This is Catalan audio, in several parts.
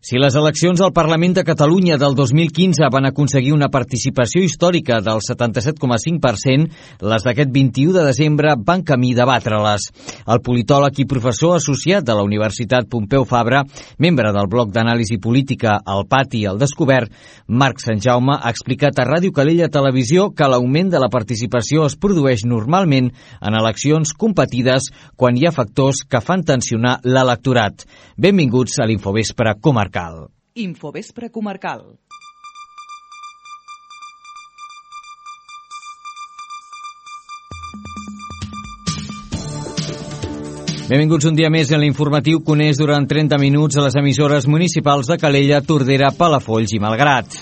Si les eleccions al Parlament de Catalunya del 2015 van aconseguir una participació històrica del 77,5%, les d'aquest 21 de desembre van camí de batre-les. El politòleg i professor associat de la Universitat Pompeu Fabra, membre del bloc d'anàlisi política El Pati al Descobert, Marc Santjaume, ha explicat a Ràdio Calella Televisió que l'augment de la participació es produeix normalment en eleccions competides quan hi ha factors que fan tensionar l'electorat. Benvinguts a l'Infovespre Comarcal. Infovespre Comarcal. Benvinguts un dia més en l'informatiu que uneix durant 30 minuts a les emissores municipals de Calella, Tordera, Palafolls i Malgrat.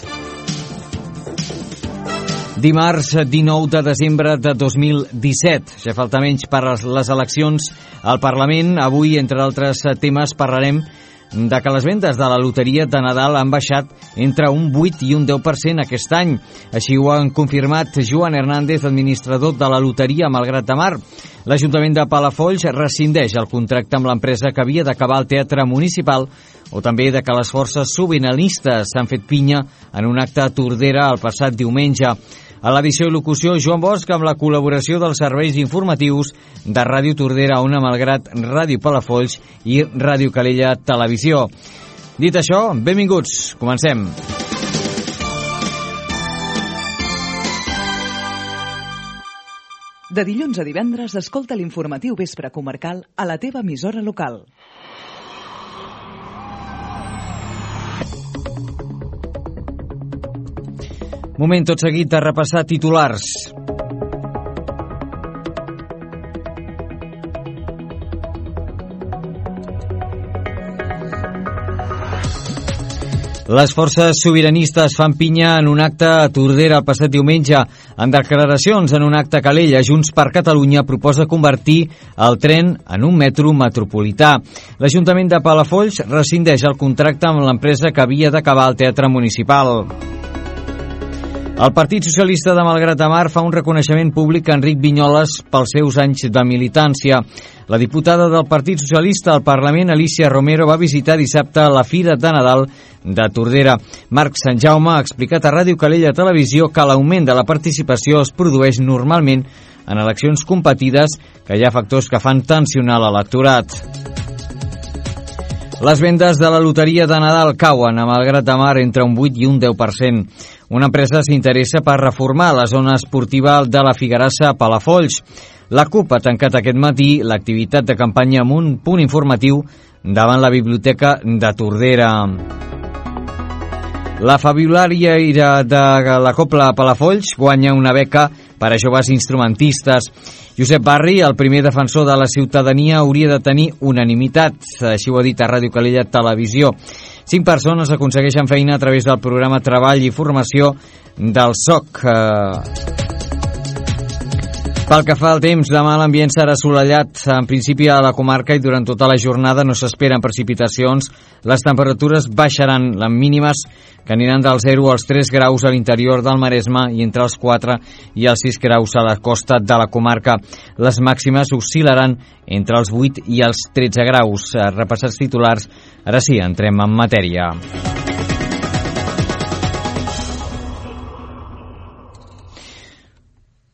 Dimarts 19 de desembre de 2017. Ja falta menys per les eleccions al Parlament. Avui, entre altres temes, parlarem de que les vendes de la loteria de Nadal han baixat entre un 8 i un 10% aquest any. Així ho han confirmat Joan Hernández, administrador de la loteria Malgrat de Mar. L'Ajuntament de Palafolls rescindeix el contracte amb l'empresa que havia d'acabar el teatre municipal, o també de que les forces sobiranistes s'han fet pinya en un acte a Tordera el passat diumenge. A l'edició i locució, Joan Bosch, amb la col·laboració dels serveis informatius de Ràdio Tordera, Ona Malgrat, Ràdio Palafolls i Ràdio Calella Televisió. Dit això, benvinguts. Comencem. De dilluns a divendres, escolta l'informatiu Vespre Comarcal a la teva emissora local. Moment tot seguit de repassar titulars. Les forces sobiranistes fan pinya en un acte a Tordera el passat diumenge. En declaracions en un acte a Calella, Junts per Catalunya proposa convertir el tren en un metro metropolità. L'Ajuntament de Palafolls rescindeix el contracte amb l'empresa que havia d'acabar el teatre municipal. El Partit Socialista de Malgrat de Mar fa un reconeixement públic a Enric Vinyoles pels seus anys de militància. La diputada del Partit Socialista al Parlament, Alicia Romero, va visitar dissabte la Fira de Nadal de Tordera. Marc Santjaume ha explicat a Ràdio Calella Televisió que l'augment de la participació es produeix normalment en eleccions competides, que hi ha factors que fan tensionar l'electorat. Les vendes de la loteria de Nadal cauen a Malgrat de Mar entre un 8 i un 10%. Una empresa s'interessa per reformar la zona esportiva de la Figuerassa a Palafolls. La CUP ha tancat aquest matí l'activitat de campanya amb un punt informatiu davant la Biblioteca de Tordera. La fabulària de la Copla Palafolls guanya una beca per a joves instrumentistes. Josep Barri, el primer defensor de la ciutadania, hauria de tenir unanimitat. Així ho ha dit a Ràdio Calella Televisió. 5 persones aconsegueixen feina a través del programa Treball i Formació del SOC. Pel que fa al temps, demà l'ambient serà assolellat en principi a la comarca i durant tota la jornada no s'esperen precipitacions. Les temperatures baixaran, les mínimes que aniran del 0 als 3 graus a l'interior del Maresme i entre els 4 i els 6 graus a la costa de la comarca. Les màximes oscil·laran entre els 8 i els 13 graus. Repassats titulars, ara sí, entrem en matèria.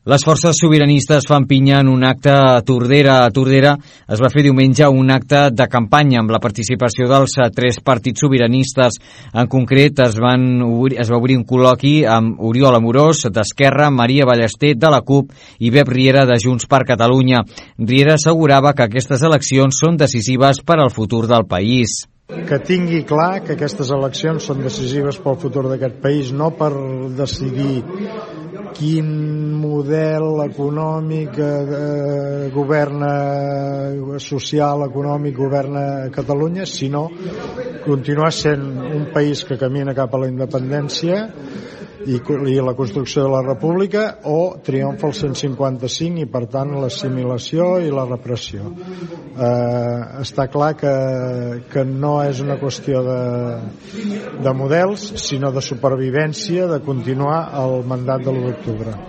Les forces sobiranistes fan pinya en un acte a Tordera. A Tordera es va fer diumenge un acte de campanya amb la participació dels 3 partits sobiranistes. En concret, es va obrir un col·loqui amb Oriol Amorós, d'Esquerra, Maria Ballester, de la CUP, i Bep Riera, de Junts per Catalunya. Riera assegurava que aquestes eleccions són decisives per al futur del país. Que tingui clar que aquestes eleccions són decisives pel futur d'aquest país, no per decidir quin model econòmic governa, social, econòmic governa Catalunya, sinó continuar sent un país que camina cap a la independència i la construcció de la república, o triomfa el 155 i per tant l'assimilació i la repressió. Està clar que no és una qüestió de models, sinó de supervivència, de continuar el mandat de l'1 d'octubre.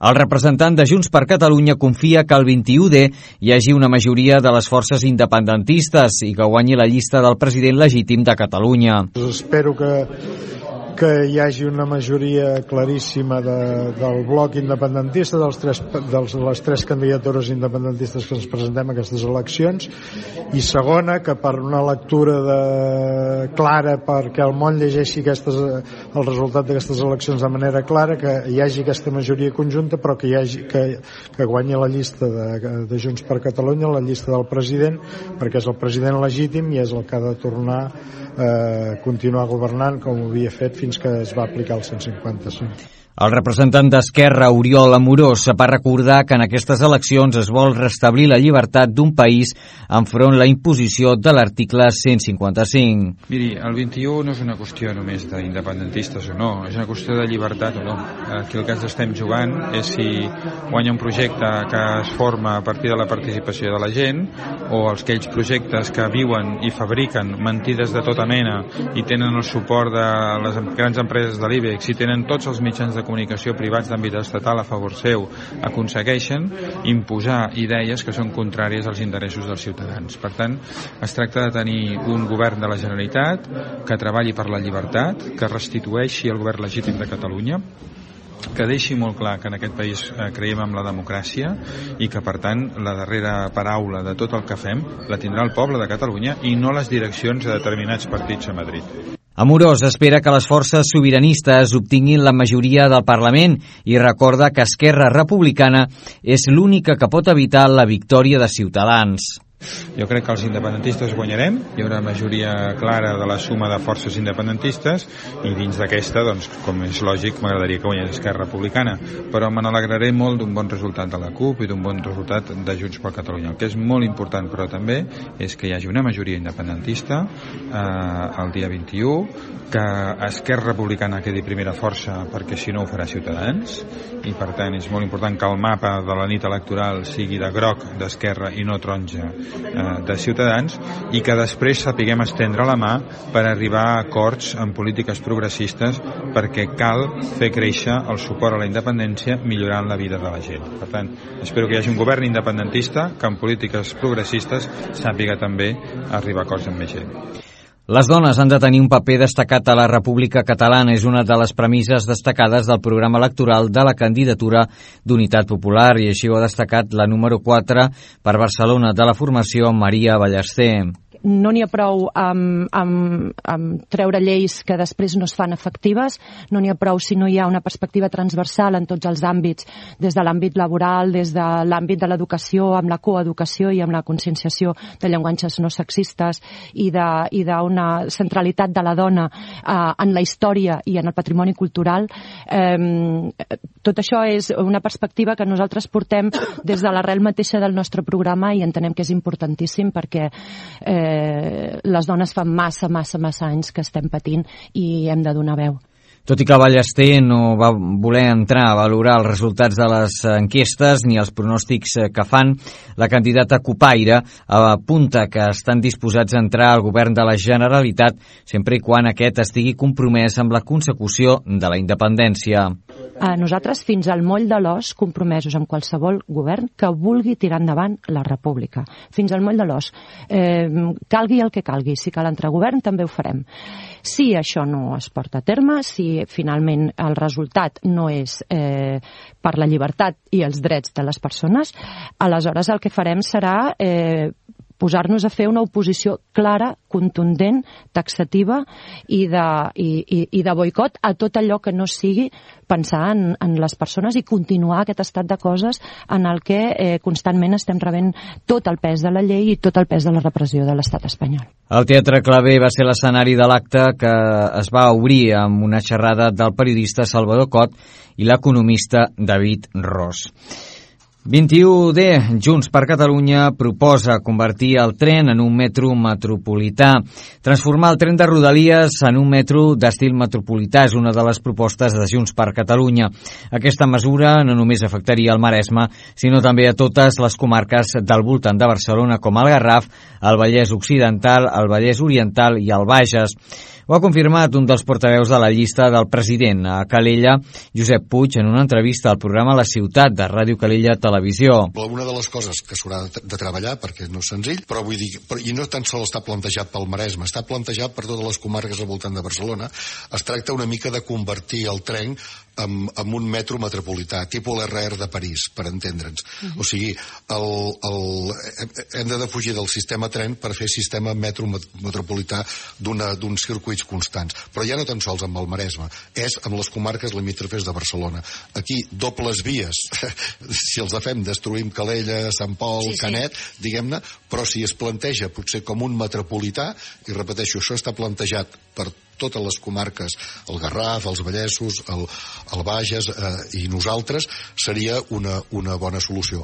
El representant de Junts per Catalunya confia que el 21D hi hagi una majoria de les forces independentistes i que guanyi la llista del president legítim de Catalunya. Espero que hi hagi una majoria claríssima del bloc independentista, de les tres candidatures independentistes que ens presentem a aquestes eleccions, i segona, que per una lectura clara, perquè el món llegeixi el resultat d'aquestes eleccions de manera clara, que hi hagi aquesta majoria conjunta, però que guanyi la llista de Junts per Catalunya, la llista del president, perquè és el president legítim i és el que ha de tornar a continuar governant com ho havia fet fins que es va aplicar el 155. El representant d'Esquerra, Oriol Amorós, va recordar que en aquestes eleccions es vol restablir la llibertat d'un país enfront la imposició de l'article 155. Miri, el 21 no és una qüestió només d'independentistes o no, és una qüestió de llibertat o no. Aquí el que ens estem jugant és si guanya un projecte que es forma a partir de la participació de la gent o aquells projectes que viuen i fabriquen mentides de tota mena i tenen el suport de les grans empreses de l'IBEX i tenen tots els mitjans de comunicació privats d'àmbit estatal a favor seu, aconsegueixen imposar idees que són contràries als interessos dels ciutadans. Per tant, es tracta de tenir un govern de la Generalitat que treballi per la llibertat, que restitueixi el govern legítim de Catalunya, que deixi molt clar que en aquest país creiem en la democràcia i que, per tant, la darrera paraula de tot el que fem la tindrà el poble de Catalunya i no les direccions de determinats partits a Madrid. Amorós espera que les forces sobiranistes obtinguin la majoria del Parlament i recorda que Esquerra Republicana és l'única que pot evitar la victòria de Ciutadans. Jo crec que els independentistes guanyarem, hi haurà majoria clara de la suma de forces independentistes i dins d'aquesta, doncs, com és lògic, m'agradaria que guanyés Esquerra Republicana, però me n'alegraré molt d'un bon resultat de la CUP i d'un bon resultat de Junts per Catalunya. El que és molt important, però també, és que hi hagi una majoria independentista el dia 21, que Esquerra Republicana quedi primera força, perquè si no ho farà Ciutadans, i per tant és molt important que el mapa de la nit electoral sigui de groc d'Esquerra i no taronja de Ciutadans, i que després sapiguem estendre la mà per arribar a acords en polítiques progressistes, perquè cal fer créixer el suport a la independència millorant la vida de la gent. Per tant, espero que hi hagi un govern independentista que en polítiques progressistes sàpiga també arribar a acords amb més gent. Les dones han de tenir un paper destacat a la República Catalana. És una de les premisses destacades del programa electoral de la candidatura d'Unitat Popular, i així ho ha destacat la número 4 per Barcelona de la formació, Maria Ballester. No n'hi ha prou amb treure lleis que després no es fan efectives, no n'hi ha prou si no hi ha una perspectiva transversal en tots els àmbits, des de l'àmbit laboral, des de l'àmbit de l'educació, amb la coeducació i amb la conscienciació de llenguatges no sexistes i d'una centralitat de la dona en la història i en el patrimoni cultural. Tot això és una perspectiva que nosaltres portem des de l'arrel mateixa del nostre programa i entenem que és importantíssim perquè les dones fa massa anys que estem patint i hem de donar veu. Tot i que Ballester no va voler entrar a valorar els resultats de les enquestes ni els pronòstics que fan, la candidata cupaire apunta que estan disposats a entrar al govern de la Generalitat sempre i quan aquest estigui compromès amb la consecució de la independència. Nosaltres fins al moll de l'os compromesos amb qualsevol govern que vulgui tirar endavant la república. Fins al moll de l'os. Calgui el que calgui. Si cal entrar a govern també ho farem. Si això no es porta a terme, si finalment el resultat no és per la llibertat i els drets de les persones, aleshores el que farem serà posar-nos a fer una oposició clara, contundent, taxativa i de boicot a tot allò que no sigui pensar en les persones i continuar aquest estat de coses en el que constantment estem rebent tot el pes de la llei i tot el pes de la repressió de l'estat espanyol. El Teatre Clavé va ser l'escenari de l'acte que es va obrir amb una xerrada del periodista Salvador Cot i l'economista David Ros. 21D, Junts per Catalunya proposa convertir el tren en un metro metropolità. Transformar el tren de Rodalies en un metro d'estil metropolità és una de les propostes de Junts per Catalunya. Aquesta mesura no només afectaria el Maresme, sinó també a totes les comarques del voltant de Barcelona, com el Garraf, el Vallès Occidental, el Vallès Oriental i el Bages. Ho ha confirmat un dels portaveus de la llista del president a Calella, Josep Puig, en una entrevista al programa La Ciutat de Ràdio Calella Televisió. Una de les coses que s'haurà de treballar, perquè no és senzill, però vull dir, i no tan sols està plantejat pel Maresme, està plantejat per totes les comarques al voltant de Barcelona. Es tracta una mica de convertir el tren en un metro metropolità, tipus l'RR de París, per entendre'ns. O sigui, hem de defugir del sistema tren per fer sistema metro metropolità d'uns circuits constants. Però ja no tan sols amb el Maresme, és amb les comarques limítrofes de Barcelona. Aquí, dobles vies, si els fem, destruïm Calella, Sant Pol, Canet, diguem-ne, però si es planteja potser com un metropolità, i repeteixo, això està plantejat per totes les comarques, el Garraf, els Vallesos, el Bages i nosaltres, seria una bona solució.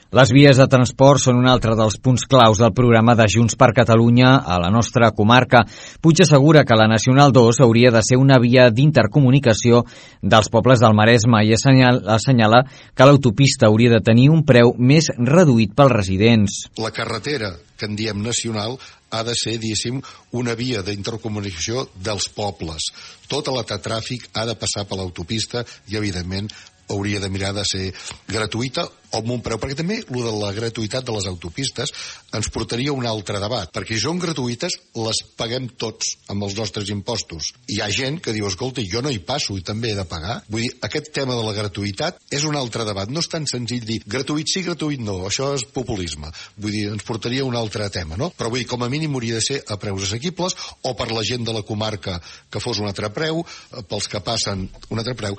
Les vies de transport són un altre dels punts claus del programa de Junts per Catalunya a la nostra comarca. Puig assegura que la Nacional 2 hauria de ser una via d'intercomunicació dels pobles del Maresme i assenyala que l'autopista hauria de tenir un preu més reduït pels residents. La carretera, que en diem nacional, ha de ser, diguéssim, una via d'intercomunicació dels pobles. Tot el tràfic ha de passar per l'autopista i, evidentment, hauria de mirar de ser gratuïta o amb un preu, perquè també el de la gratuïtat de les autopistes ens portaria a un altre debat, perquè si són gratuïtes les paguem tots amb els nostres impostos. Hi ha gent que diu, escolta, jo no hi passo i també he de pagar. Vull dir, aquest tema de la gratuïtat és un altre debat, no és tan senzill dir gratuït sí, gratuït no, això és populisme. Vull dir, ens portaria a un altre tema, no? Però vull dir, com a mínim hauria de ser a preus assequibles o per la gent de la comarca que fos un altre preu, pels que passen un altre preu.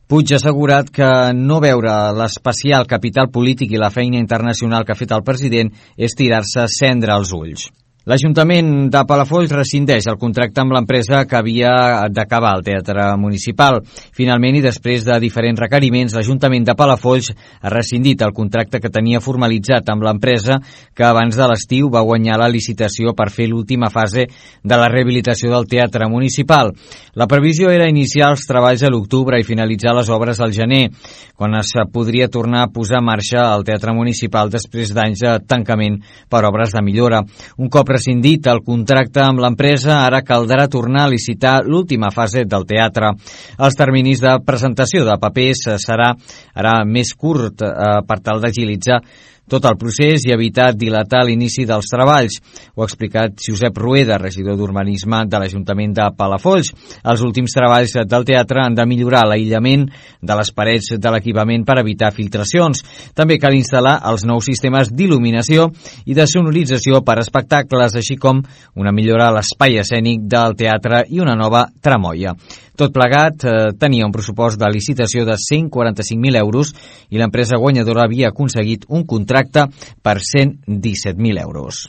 Puig ha assegurat que no veure l'especial capital polític i la feina internacional que ha fet el president és tirar-se cendra als ulls. L'Ajuntament de Palafolls rescindeix el contracte amb l'empresa que havia d'acabar el Teatre Municipal. Finalment, i després de diferents requeriments, l'Ajuntament de Palafolls ha rescindit el contracte que tenia formalitzat amb l'empresa que abans de l'estiu va guanyar la licitació per fer l'última fase de la rehabilitació del Teatre Municipal. La previsió era iniciar els treballs a l'octubre i finalitzar les obres al gener, quan es podria tornar a posar en marxa el Teatre Municipal després d'anys de tancament per obres de millora. Un cop rescindit el contracte amb l'empresa, ara caldrà tornar a licitar l'última fase del teatre. Els terminis de presentació de papers serà ara més curt per tal d'agilitzar tot el procés i evitar dilatar l'inici dels treballs. Ho ha explicat Josep Rueda, regidor d'Urbanisme de l'Ajuntament de Palafolls. Els últims treballs del teatre han de millorar l'aïllament de les parets de l'equipament per evitar filtracions. També cal instal·lar els nous sistemes d'il·luminació i de sonorització per espectacles, així com una millora a l'espai escènic del teatre i una nova tramoia. Tot plegat tenia un pressupost de licitació de 145.000 euros i l'empresa guanyadora havia aconseguit un contracte per 117.000 euros.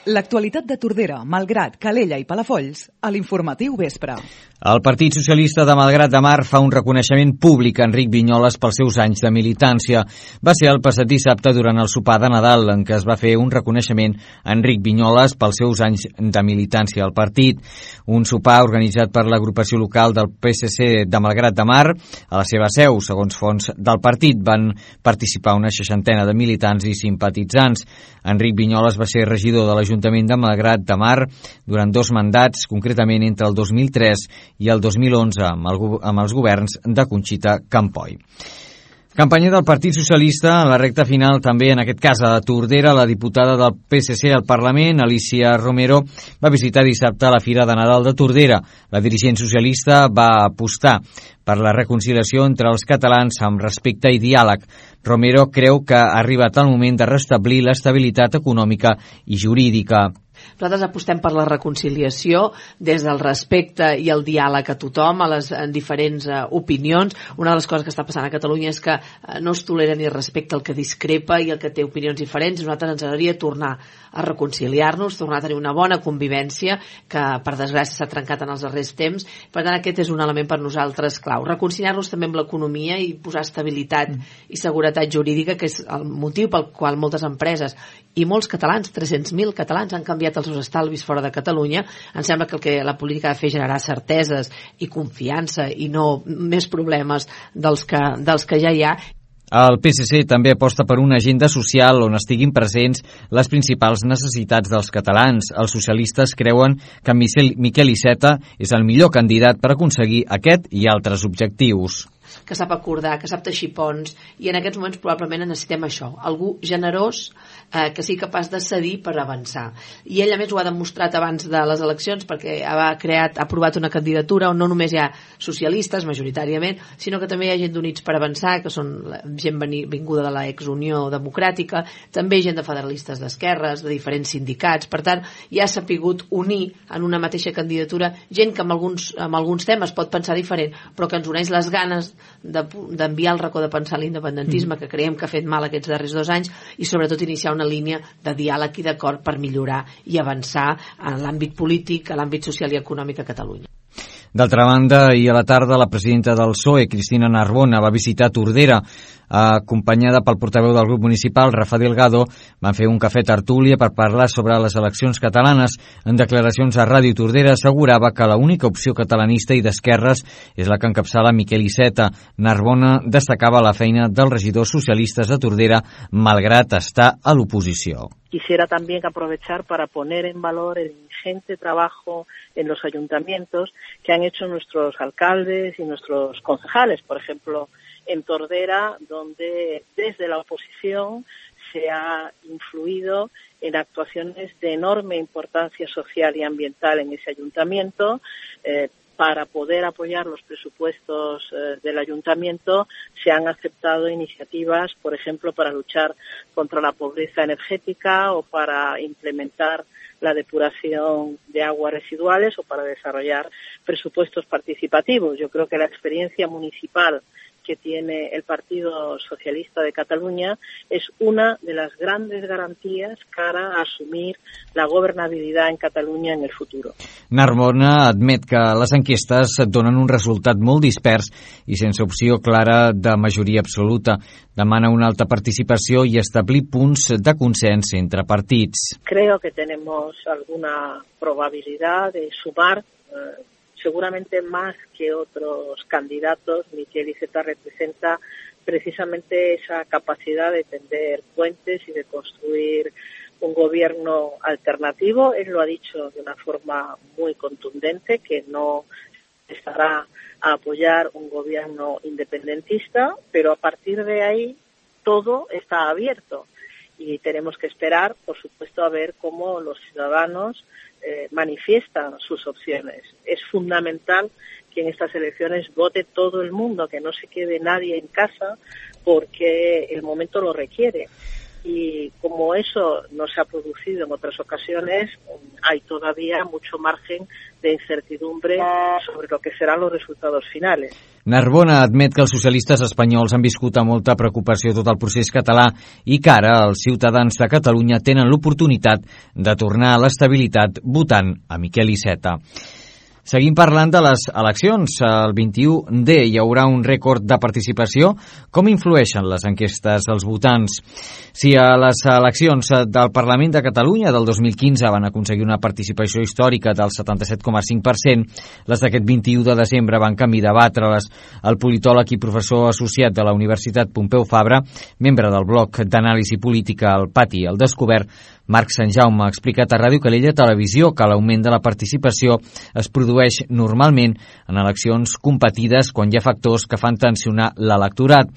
L'actualitat de Tordera, Malgrat, Calella i Palafolls a l'Informatiu Vespre. El Partit Socialista de Malgrat de Mar fa un reconeixement públic a Enric Vinyoles pels seus anys de militància. Va ser el passat dissabte durant el sopar de Nadal en què es va fer un reconeixement a Enric Vinyoles pels seus anys de militància al partit. Un sopar organitzat per l'agrupació local del PSC de Malgrat de Mar. A la seva seu, segons fonts del partit, van participar una 60ena de militants i simpatitzants. Enric Vinyoles va ser regidor de l'Ajuntament de Malgrat de Mar durant 2 mandats, concretament entre el 2003 i el 2011, amb els governs de Conxita Campoy. Campanya del Partit Socialista en la recta final també, en aquest cas a Tordera. La diputada del PSC al Parlament, Alicia Romero, va visitar dissabte la Fira de Nadal de Tordera. La dirigent socialista va apostar per la reconciliació entre els catalans amb respecte i diàleg. Romero creu que ha arribat el moment de restablir l'estabilitat econòmica i jurídica. Nosaltres apostem per la reconciliació des del respecte i el diàleg a tothom, a les diferents opinions. Una de les coses que està passant a Catalunya és que no es tolera ni respecte al que discrepa i el que té opinions diferents. Nosaltres ens agradaria tornar a reconciliar-nos, tornar a tenir una bona convivència que per desgràcia s'ha trencat en els darrers temps. Per tant, aquest és un element per nosaltres clau. Reconciliar-nos també amb l'economia i posar estabilitat i seguretat jurídica, que és el motiu pel qual moltes empreses i molts catalans, 300.000 catalans, han canviat els seus estalvis fora de Catalunya. Em sembla que la política ha de fer generar certeses i confiança i no més problemes dels que ja hi ha. El PSC també aposta per una agenda social on estiguin presents les principals necessitats dels catalans. Els socialistes creuen que Miquel Iceta és el millor candidat per aconseguir aquest i altres objectius. Que sap acordar, que sap teixir ponts, i en aquests moments probablement necessitem això, algú generós que sigui capaç de cedir per avançar. I ell a més ho ha demostrat abans de les eleccions, perquè ha aprovat una candidatura on no només hi ha socialistes majoritàriament, sinó que també hi ha gent d'Units per Avançar, que són gent vinguda de l'ex-Unió Democràtica, també gent de federalistes d'esquerres, de diferents sindicats. Per tant, ja s'ha pogut unir en una mateixa candidatura gent que amb alguns temes pot pensar diferent, però que ens uneix les ganes d'enviar el racó de pensar l'independentisme, que creiem que ha fet mal aquests darrers 2 anys, i sobretot iniciar una línia de diàleg i d'acord per millorar i avançar en l'àmbit polític, a l'àmbit social i econòmic a Catalunya. D'altra banda, ahir a la tarda, la presidenta del PSOE, Cristina Narbona, va visitar Tordera. Acompanyada pel portaveu del grup municipal, Rafa Delgado, van fer un cafè tertúlia per parlar sobre les eleccions catalanes. En declaracions a Ràdio Tordera assegurava que l'única opció catalanista i d'esquerres és la que encapçala Miquel Iceta. Narbona destacava la feina dels regidors socialistes de Tordera, malgrat estar a l'oposició. Quisiera también aprovechar para poner en valor el ingente trabajo en los ayuntamientos que han hecho nuestros alcaldes y nuestros concejales, por ejemplo, en Tordera, donde desde la oposición se ha influido en actuaciones de enorme importancia social y ambiental en ese ayuntamiento. Para poder apoyar los presupuestos del ayuntamiento se han aceptado iniciativas, por ejemplo, para luchar contra la pobreza energética o para implementar la depuración de aguas residuales o para desarrollar presupuestos participativos. Yo creo que la experiencia municipal que tiene el Partido Socialista de Catalunya es una de las grandes garantías cara a assumir la governabilitat en Catalunya en el futur. Narbona admet que les enquestes donen un resultat molt dispers i sense opció clara de majoria absoluta. Demana una alta participació i establir punts de consens entre partits. Creo que tenemos alguna probabilidad de sumar seguramente más que otros candidatos. Miquel Iceta representa precisamente esa capacidad de tender puentes y de construir un gobierno alternativo. Él lo ha dicho de una forma muy contundente, que no estará a apoyar un gobierno independentista, pero a partir de ahí todo está abierto y tenemos que esperar, por supuesto, a ver cómo los ciudadanos manifiestan sus opciones. Es fundamental que en estas elecciones vote todo el mundo, que no se quede nadie en casa, porque el momento lo requiere. Y como eso no se ha producido en otras ocasiones, hay todavía mucho margen de incertidumbre sobre lo que serán los resultados finales. Narbona admet que els socialistes espanyols han viscut amb molta preocupació tot el procés català i que ara els ciutadans de Catalunya tenen l'oportunitat de tornar a l'estabilitat votant a Miquel Iceta. Seguim parlant de les eleccions. El 21D hi haurà un rècord de participació. Com influeixen les enquestes als votants? Si a les eleccions del Parlament de Catalunya del 2015 van aconseguir una participació històrica del 77,5%, les d'aquest 21 de desembre van camí debatre-les. El politòleg i professor associat de la Universitat Pompeu Fabra, membre del bloc d'anàlisi política al Pati al Descobert, Marc Sant Jaume, ha explicat a Ràdio Calella Televisió que l'augment de la participació es produeix normalment en eleccions competides quan hi ha factors que fan tensionar l'electorat.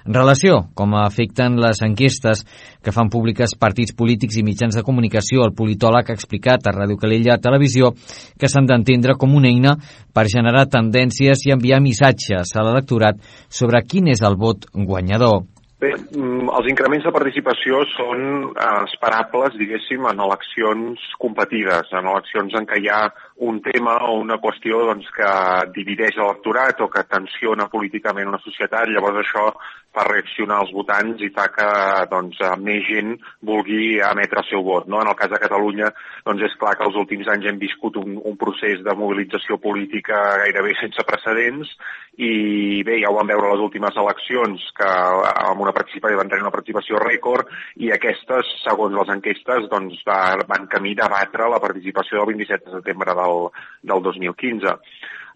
En relació com afecten les enquestes que fan públiques partits polítics i mitjans de comunicació, el politòleg ha explicat a Ràdio Calella Televisió que s'han d'entendre com una eina per generar tendències i enviar missatges a l'electorat sobre quin és el vot guanyador. Bé, els increments de participació són esperables, diguéssim, en eleccions competides, en eleccions en què hi ha un tema o una qüestió doncs, que divideix l'electorat o que tensiona políticament una societat. Llavors això fa reaccionar els votants i fa que doncs, més gent vulgui emetre el seu vot. No? En el cas de Catalunya doncs, és clar que els últims anys hem viscut un procés de mobilització política gairebé sense precedents i bé, ja ho vam veure a les últimes eleccions que amb una participació van tenir una participació rècord i aquestes, segons les enquestes, doncs, van camí de batre la participació del 27 de setembre del 2015.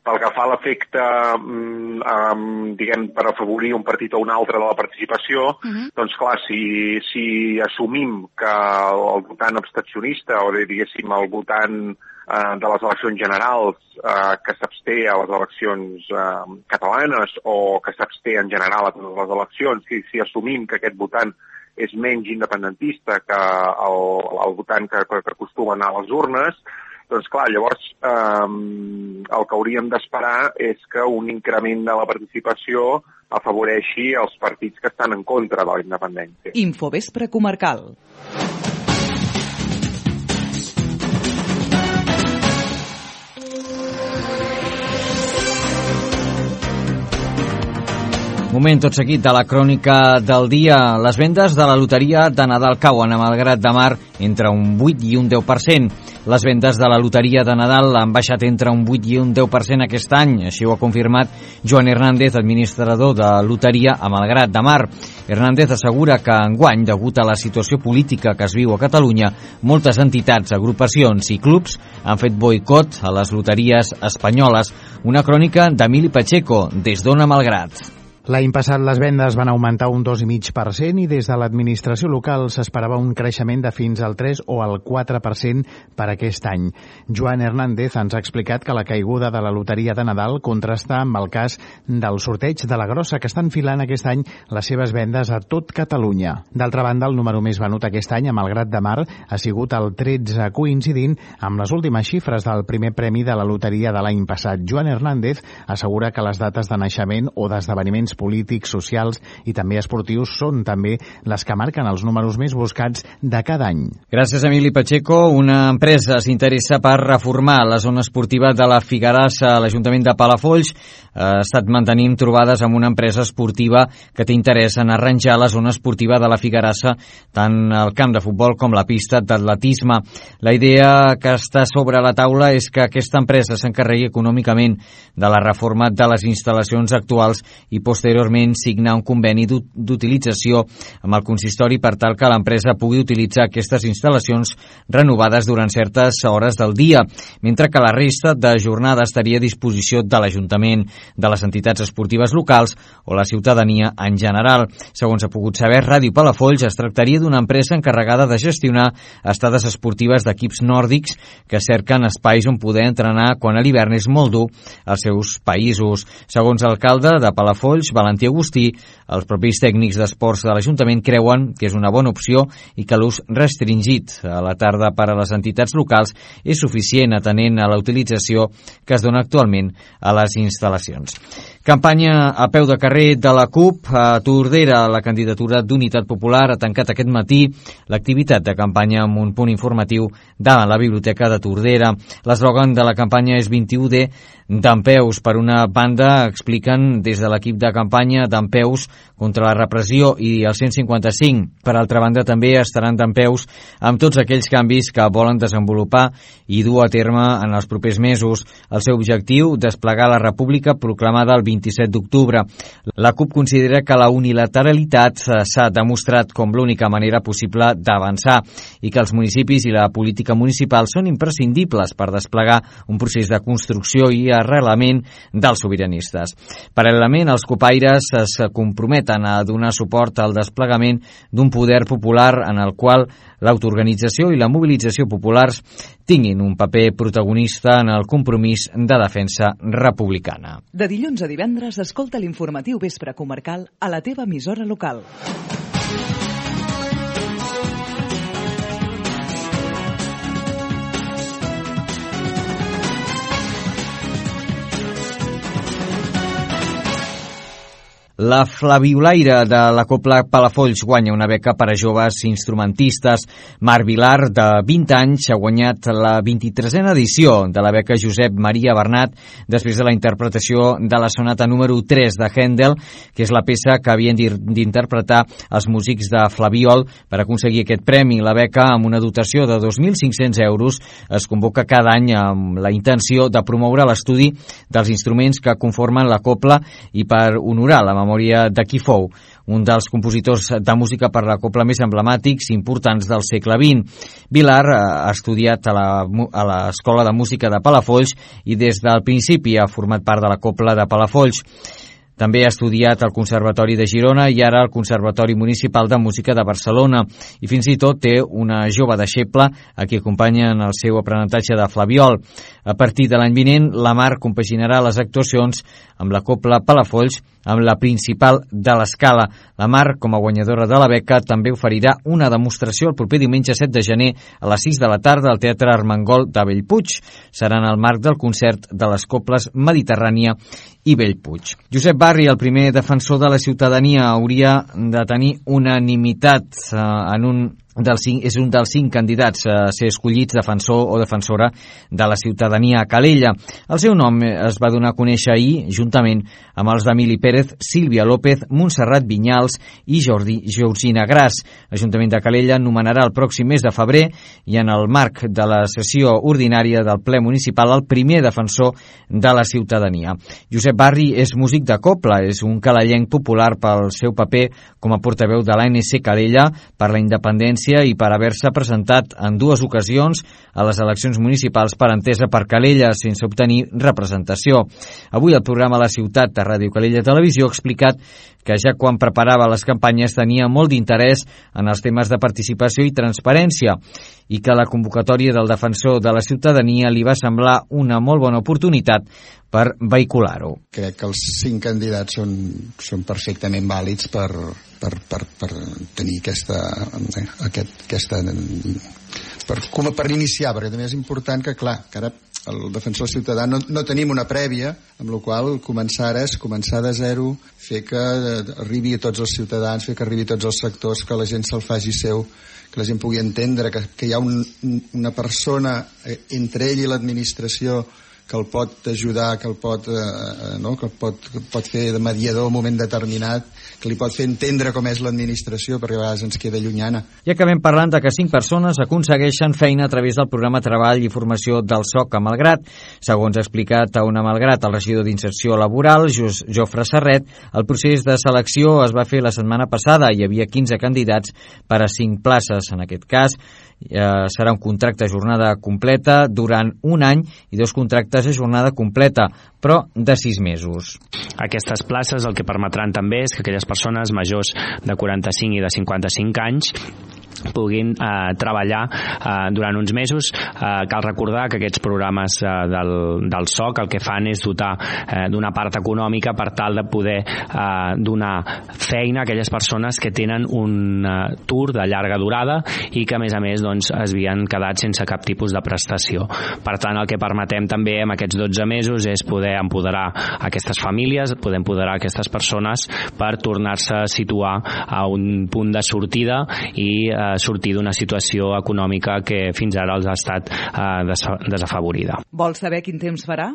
Pel que fa a l'efecte, diguem, per afavorir un partit o un altre de la participació, doncs clar, si assumim que el votant abstencionista o diguéssim el votant de les eleccions generals que s'absté a les eleccions catalanes o que s'absté en general a totes les eleccions, si assumim que aquest votant és menys independentista que el votant que acostuma a anar a les urnes, doncs clar, llavors el que hauríem d'esperar és que un increment de la participació afavoreixi els partits que estan en contra de la independència. Infovespre comarcal. Moment tot seguit de la crònica del dia. Les vendes de la loteria de Nadal cauen a Malgrat de Mar entre un 8 i un 10%. Les vendes de la loteria de Nadal han baixat entre un 8 i un 10% aquest any. Així ho ha confirmat Joan Hernández, administrador de loteria a Malgrat de Mar. Hernández assegura que enguany, degut a la situació política que es viu a Catalunya, moltes entitats, agrupacions i clubs han fet boicot a les loteries espanyoles. Una crònica d'Emili Pacheco, des d'Ona Malgrat. L'any passat les vendes van augmentar un 2,5% i des de l'administració local s'esperava un creixement de fins al 3 o al 4% per aquest any. Joan Hernández ens ha explicat que la caiguda de la loteria de Nadal contrasta amb el cas del sorteig de la Grossa, que està enfilant aquest any les seves vendes a tot Catalunya. D'altra banda, el número més venut aquest any a Malgrat de Mar ha sigut el 13, coincidint amb les últimes xifres del primer premi de la loteria de l'any passat. Joan Hernández assegura que les dates de naixement o d'esdeveniments polítics, socials i també esportius són també les que marquen els números més buscats de cada any. Gràcies, Emili Pacheco. Una empresa s'interessa per reformar la zona esportiva de la Figarassa. L'Ajuntament de Palafolls ha estat mantenint trobades amb una empresa esportiva que té interès en arranjar la zona esportiva de la Figarassa, tant el camp de futbol com la pista d'atletisme. La idea que està sobre la taula és que aquesta empresa s'encarregui econòmicament de la reforma de les instal·lacions actuals i posteriorment signar un conveni d'utilització amb el consistori per tal que l'empresa pugui utilitzar aquestes instal·lacions renovades durant certes hores del dia, mentre que la resta de jornada estaria a disposició de l'Ajuntament, de les entitats esportives locals o la ciutadania en general. Segons ha pogut saber Ràdio Palafolls, es tractaria d'una empresa encarregada de gestionar estades esportives d'equips nòrdics que cerquen espais on poder entrenar quan a l'hivern és molt dur als seus països. Segons l'alcalde de Palafolls, Valentí Agustí, els propis tècnics d'esports de l'Ajuntament creuen que és una bona opció i que l'ús restringit a la tarda per a les entitats locals és suficient atenent a la utilització que es dona actualment a les instal·lacions. Campanya a peu de carrer de la CUP. A Tordera, la candidatura d'Unitat Popular ha tancat aquest matí l'activitat de campanya amb un punt informatiu davant la Biblioteca de Tordera. L'eslògan de la campanya és 21D d'Empeus. Per una banda, expliquen des de l'equip de campanya d'Empeus contra la repressió i el 155. Per altra banda, també estaran d'Empeus amb tots aquells canvis que volen desenvolupar i dur a terme en els propers mesos. El seu objectiu, desplegar la República proclamada el 27 d'octubre. La CUP considera que la unilateralitat s'ha demostrat com l'única manera possible d'avançar i que els municipis i la política municipal són imprescindibles per desplegar un procés de construcció i arrelament dels sobiranistes. Paral·lelament, els copaires es comprometen a donar suport al desplegament d'un poder popular en el qual l'autoorganització i la mobilització populars tinguin un paper protagonista en el compromís de defensa republicana. De dilluns a divendres, escolta l'informatiu Vespre Comarcal a la teva emissora local. La Flaviolaire de la Cobla Palafolls guanya una beca per a joves instrumentistes. Marc Vilar, de 20 anys, ha guanyat la 23a edició de la beca Josep Maria Bernat després de la interpretació de la sonata número 3 de Händel, que és la peça que havien d'interpretar els músics de Flabiol. Per aconseguir aquest premi, la beca, amb una dotació de 2.500 euros, es convoca cada any amb la intenció de promoure l'estudi dels instruments que conformen la cobla i per honorar la memòria de qui fou un dels compositors de música per la cobla més emblemàtics i importants del segle XX. Vilar ha estudiat a l'Escola de Música de Palafolls i des del principi ha format part de la cobla de Palafolls. També ha estudiat al Conservatori de Girona i ara al Conservatori Municipal de Música de Barcelona. I fins i tot té una jove deixeble a qui acompanya en el seu aprenentatge de flabiol. A partir de l'any vinent, la Mar compaginarà les actuacions amb la cobla Palafolls amb la principal de l'Escala. La Mar, com a guanyadora de la beca, també oferirà una demostració el proper diumenge 7 de gener a les 6 de la tarda al Teatre Armengol de Bellpuig. Serà en el marc del concert de les cobles Mediterrània i Bellpuig. Josep Barri, el primer defensor de la ciutadania, hauria de tenir unanimitat és un dels 5 candidats a ser escollits defensor o defensora de la ciutadania a Calella. El seu nom es va donar a conèixer ahir, juntament amb els d'Emili Pérez, Sílvia López, Montserrat Vinyals i Georgina Gras. L'Ajuntament de Calella nomenarà el pròxim mes de febrer i en el marc de la sessió ordinària del ple municipal el primer defensor de la ciutadania. Josep Barri és músic de cobla, és un calellenc popular pel seu paper com a portaveu de l'ANC Calella per la independència i per haver-se presentat en 2 ocasions a les eleccions municipals per entesa per Calella sense obtenir representació. Avui el programa La Ciutat de Ràdio Calella Televisió ha explicat que ja quan preparava les campanyes tenia molt d'interès en els temes de participació i transparència i que la convocatòria del defensor de la ciutadania li va semblar una molt bona oportunitat per vehicular-ho. Crec que els 5 candidats són perfectament vàlids per tenir per iniciar, perquè també és important que, clar, que ara el defensor ciutadà no tenim una prèvia, amb la qual començar de zero, fer que arribi a tots els ciutadans, fer que arribi a tots els sectors, que la gent se'l faci seu, que la gent pugui entendre que hi ha una persona entre ell i l'administració que el pot ajudar, que el pot fer de mediador en un moment determinat, que li pot fer entendre com és l'administració, perquè a vegades ens queda llunyana. I acabem parlant de que 5 persones aconsegueixen feina a través del programa Treball i Formació del SOC a Malgrat. Segons ha explicat a Una Malgrat el regidor d'Inserció Laboral, Jofre Serret, el procés de selecció es va fer la setmana passada. Hi havia 15 candidats per a 5 places. En aquest cas, serà un contracte a jornada completa durant un any i 2 contractes a jornada completa, però de 6 mesos. Aquestes places el que permetran també és que aquelles persones majors de 45 i de 55 anys puguin treballar durant uns mesos. Cal recordar que aquests programes del SOC el que fan és dotar d'una part econòmica per tal de poder donar feina a aquelles persones que tenen un atur de llarga durada i que a més es havien quedat sense cap tipus de prestació. Per tant, el que permetem també amb aquests 12 mesos és poder empoderar aquestes famílies, poder empoderar aquestes persones per tornar-se a situar a un punt de sortida i sortir d'una situació econòmica que fins ara els ha estat desafavorida. Vols saber quin temps farà?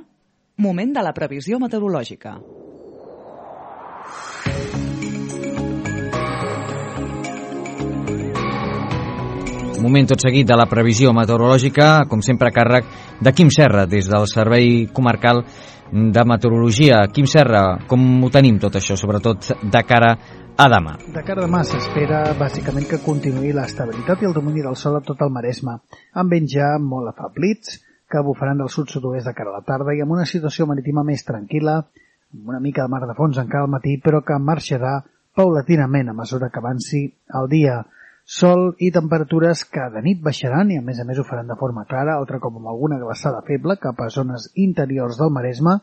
Moment de la previsió meteorològica. Moment tot seguit de la previsió meteorològica, com sempre a càrrec de Quim Serra, des del Servei Comarcal de Meteorologia. Quim Serra, com ho tenim tot això, sobretot de cara a demà? De cara a demà s'espera bàsicament que continuï l'estabilitat i el domini del sol a tot el Maresme, amb vents ja molt afablits que bufaran del sud-sud-oest de cara a la tarda i amb una situació marítima més tranquil·la, amb una mica de mar de fons encara al matí, però que marxarà paulatinament a mesura que avanci el dia. Sol i temperatures que de nit baixaran i a més ho faran de forma clara, altre com amb alguna glaçada feble cap a zones interiors del Maresme,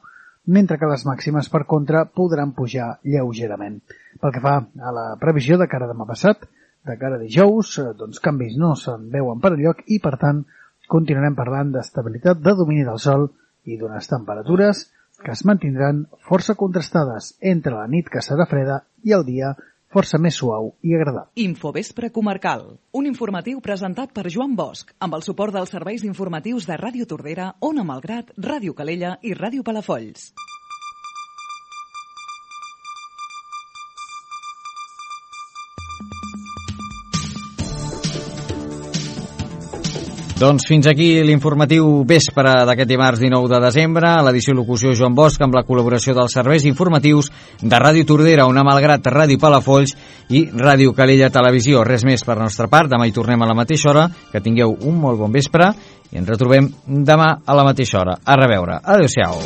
mentre que les màximes, per contra, podran pujar lleugerament. Pel que fa a la previsió de cara a demà passat, de cara a dijous, canvis no se'n veuen per enlloc i, per tant, continuarem parlant d'estabilitat, de domini del sol i d'unes temperatures que es mantindran força contrastades entre la nit, que serà freda, i el dia força més suau i agradable. Infovespre Comarcal, un informatiu presentat per Joan Bosch, amb el suport dels serveis informatius de Ràdio Tordera, Ona Malgrat, Ràdio Calella i Ràdio Palafolls. Doncs fins aquí l'informatiu vespre d'aquest dimarts 19 de desembre, a l'edició locució Joan Bosch, amb la col·laboració dels serveis informatius de Ràdio Tordera, Ona Malgrat, Ràdio Palafolls i Ràdio Calella Televisió. Res més per la nostra part, demà hi tornem a la mateixa hora, que tingueu un molt bon vespre i ens retrobem demà a la mateixa hora. A reveure. Adéu-siau.